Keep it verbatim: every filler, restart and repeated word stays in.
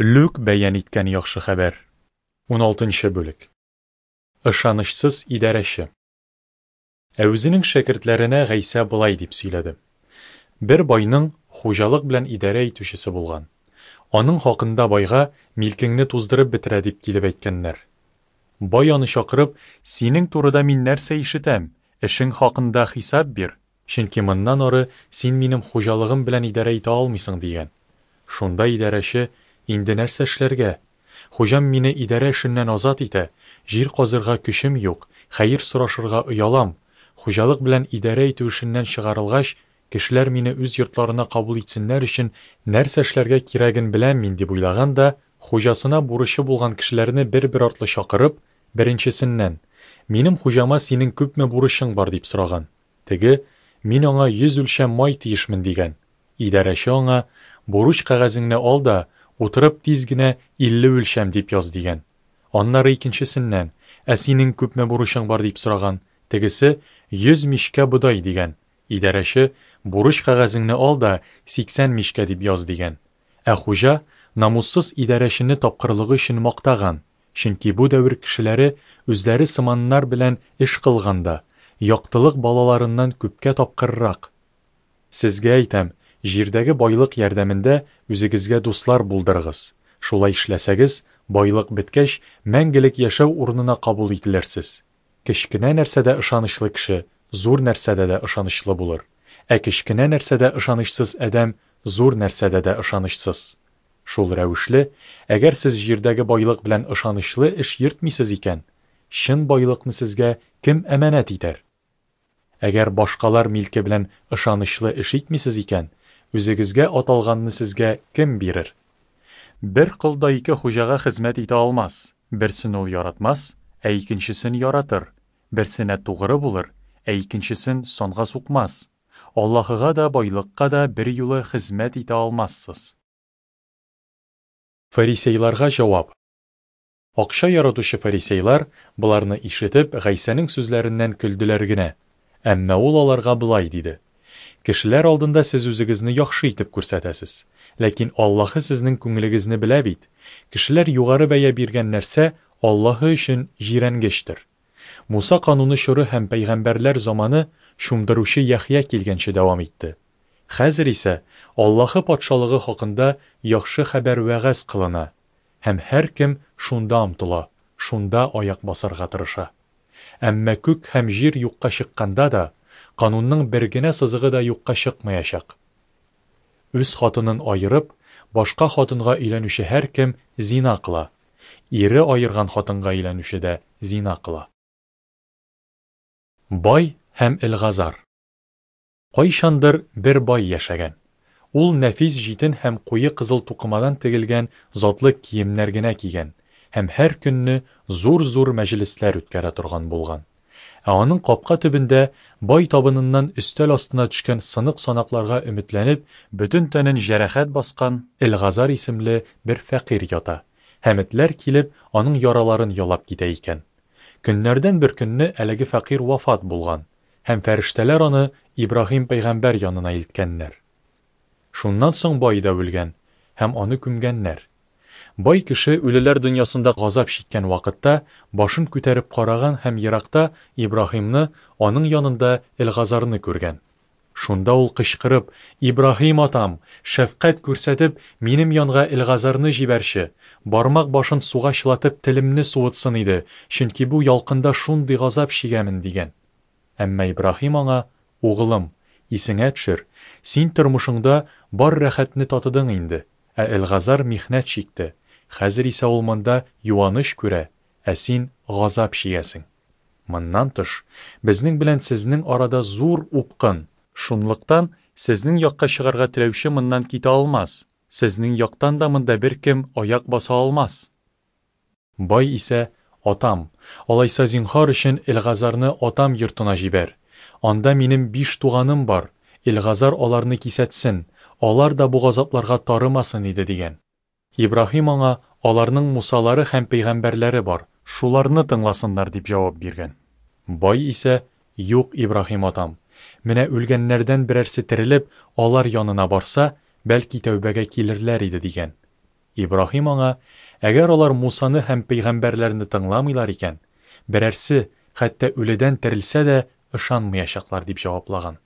Лүк бәян иткән Яхшы хәбәр. Уналтынчы бүлек. Ышанычсыз идарәче. Ә үзенең шәкертләренә Гайсә болай дип сөйләде: Бер байның хуҗалык белән идарә итүчесе булган. Аның хакында байга, милкеңне туздырып бетерә, дип килеп әйткәннәр. Бай аны чакырып, синең турыда мин нәрсә ишетәм? Эшең хакында хисап бир, чөнки моннан ары син минем хуҗалыгым белән идарә итә алмыйсың, дигән. Шунда идарәче: инде нәрсә эшләргә? Хуҗам мине идарә эшеннән азат итә, җир казырга көчем юк, хәер сорашырга оялам. Хуҗалык белән идарә итү эшеннән чыгарылгач, кешеләр мине үз йортларына кабул итсеннәр өчен нәрсә эшләргә кирәген беләм мин, дип уйлаган да, хуҗасына бурычы булган кешеләрне бер-бер артлы чакырып, беренчесеннән: минем хуҗама синең күпме бурычың бар, дип сораган. Теге: мин аңа йөз үлчәм май тиешмен, дигән. Идарәче аңа: бурыч кәгазеңне ал да, утырып тиз генә илле үлчәм дип яз, дигән. Аннары икенчесеннән: ә синең күпме бурычың бар, дип сораган. Тегесе: йөз мишкә бодай, дигән. Идарәче: бурыч кәгазеңне ал да, сиксән мишкә дип яз, дигән. Ә хуҗа намуссыз идарәчене тапкырлыгы өчен мактаган, чөнки бу дәвер кешеләре үзләре сыманнар белән эш кылганда, яктылык балаларыннан күпкә тапкыррак. Сезгә әйтәм, җирдәге байлык ярдәмендә үзегезгә дуслар булдырыгыз. Шулай эшләсәгез, байлык беткәч, мәңгелек яшәү урынына кабул ителерсез. Кечкенә нәрсәдә ышанычлы кеше зур нәрсәдә дә ышанычлы булыр. Ә кечкенә нәрсәдә ышанычсыз адәм зур нәрсәдә дә ышанычсыз. Шул рәвешле, әгәр сез җирдәге байлык белән ышанычлы эш йөртмисез икән, чын байлыкны сезгә кем әманәт итәр? Әгәр башкалар милке белән ышанычлы эш итмисез икән, үзегезгә аталганны сезгә кем бирер? Бер кол да ике хуҗага хезмәт итә алмас. Берсен ул яратмас, ә икенчесен яратыр. Берсенә тугры булыр, ә икенчесен санга сукмас. Аллаһыга да, байлыкка да бер юлы хезмәт итә алмассыз. Фарисейларга җавап. Акча яратучы фарисейлар, боларны ишетеп, Гайсәнең сүзләреннән көлделәр генә. Әмма ул аларга болай диде: Кешеләр алдында сез үзегезне яхшы итеп күрсәтәсез, ләкин Аллаһы сезнең күңелегезне белә бит. Кешеләр югары бәя биргән нәрсә Аллаһы өчен җирәнгечтер. Муса кануны чоры һәм пәйгамбәрләр заманы чумдыручы Яхъя килгәнче дәвам итте. Хәзер исә Аллаһы патшалыгы хакында яхшы хәбәр вәгазь кылына, һәм һәркем шунда омтыла, шунда аяк басарга тырыша. Әмма күк һәм җир юкка чыкканда да, канунның бер генә сызыгы да юкка чыкмаячак. Үз хатынын аерып, башка хатынга өйләнүче һәркем зина кыла. Ире аерган хатынга өйләнүче дә зина кыла. Бай һәм Элгазар. Кайчандыр бер бай яшәгән. Ул нәфис җитен һәм куе кызыл тукымадан тегелгән затлы киемнәр генә кигән һәм һәр көнне зур-зур мәҗлесләр үткәрә торган булган. Ә аның капка төбендә бай табыныннан өстәл астына төшкән сынык санакларга өметләнеп, бөтен тәнен җәрәхәт баскан Элгазар исемле бер фәкыйрь ята, һәм этләр килеп аның яраларын ялап китә икән. Көннәрдән бер көнне әлеге фәкыйрь вафат булган, һәм фәрештәләр аны Ибраһим пәйгамбәр янына илткәннәр. Шуннан соң бай да үлгән, һәм аны күмгәннәр. Бай кеше үлеләр дөньясында газап чиккән вакытта башын күтәреп караган һәм еракта Ибраһимны, аның янында Элгазарны күргән. Шунда ул кычкырып: Ибраһим атам, шәфкать күрсәтеп, минем янга Элгазарны җибәрче, бармак башын суга чылатып телемне суытсын иде, чөнки бу ялкында шундый газап чигәмен, дигән. Әмма Ибраһим аңа: Углым, исеңә төшер, син тормышыңда бар рәхәтне татыдың инде, ә Элгазар михнәт чикте. Хәзер исә ул монда юаныч күрә, ә син газап чигәсең. Моннан тыш, безнең белән сезнең арада зур упкын. Шунлыктан сезнең якка чыгарга теләүче моннан китә алмас, сезнең яктан да монда беркем аяк баса алмас. Бай исә: Атам, алайса зинһар өчен Элгазарны атам йортына җибәр. Анда минем биш туганым бар, Элгазар аларны кисәтсен, алар да бу газапларга тарымасын иде, дигән. Ибраһим аңа: аларның Мусалары һәм пәйгамбәрләре бар, шуларны тыңласыннар, дип җавап биргән. Бай исә: Юк, Ибраһим атам, менә үлгәннәрдән берәрсе терелеп, алар янына барса, бәлки тәүбәгә килерләр иде, дигән. Ибраһим аңа: Әгәр алар Мусаны һәм пәйгамбәрләрне тыңламыйлар икән, берәрсе, хәтта үледән терелсә дә, ышанмаячаклар, дип җаваплаган.